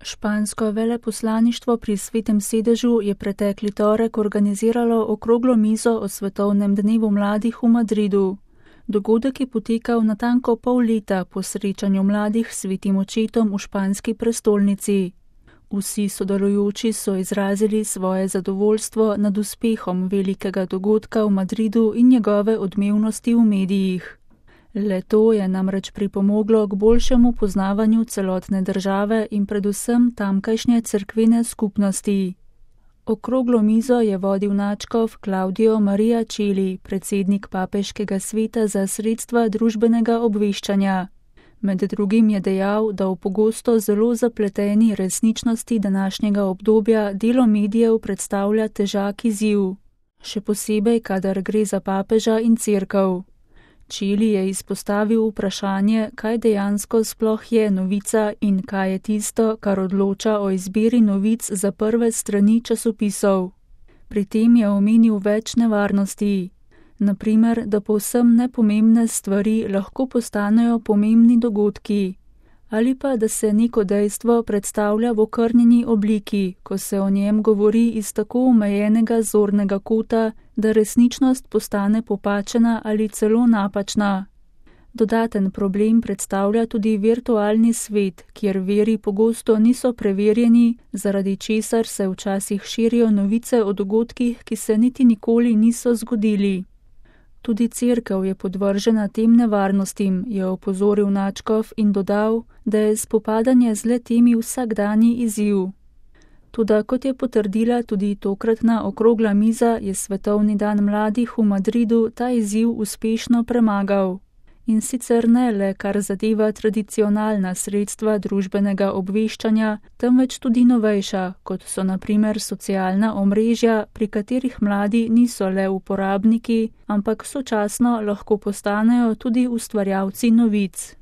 Špansko veleposlaništvo pri Svetem sedežu je pretekli torek organiziralo okroglo mizo o svetovnem dnevu mladih v Madridu. Dogodek je potekal natanko pol leta po srečanju mladih s Svetim očetom v španski prestolnici. Vsi sodelujoči so izrazili svoje zadovoljstvo nad uspehom velikega dogodka v Madridu in njegove odmevnosti v medijih. Le to je namreč pripomoglo k boljšemu poznavanju celotne države in predvsem tamkajšnje cerkvene skupnosti. Okroglo mizo je vodil nadškof Claudio Maria Chili, predsednik Papeškega sveta za sredstva družbenega obveščanja. Med drugim je dejal, da v pogosto zelo zapleteni resničnosti današnjega obdobja delo medijev predstavlja težak izziv, še posebej, kadar gre za papeža in cerkev. Chili je izpostavil vprašanje, kaj dejansko sploh je novica in kaj je tisto, kar odloča o izbiri novic za prve strani časopisov. Pri tem je omenil več nevarnosti. Naprimer, da povsem nepomembne stvari lahko postanejo pomembni dogodki, ali pa da se neko dejstvo predstavlja v okrnjeni obliki, ko se o njem govori iz tako omejenega zornega kota, da resničnost postane popačena ali celo napačna. Dodaten problem predstavlja tudi virtualni svet, kjer viri pogosto niso preverjeni, zaradi česar se včasih širijo novice o dogodkih, ki se niti nikoli niso zgodili. Tudi cerkev je podvržena tem nevarnostim, je opozoril nadškof in dodal, da je spopadanje z le-temi vsakdanji izziv. Toda kot je potrdila tudi tokratna okrogla miza, je svetovni dan mladih v Madridu ta izziv uspešno premagal. In sicer ne le kar zadeva tradicionalna sredstva družbenega obveščanja, temveč tudi novejša, kot so na primer socialna omrežja, pri katerih mladi niso le uporabniki, ampak sočasno lahko postanejo tudi ustvarjalci novic.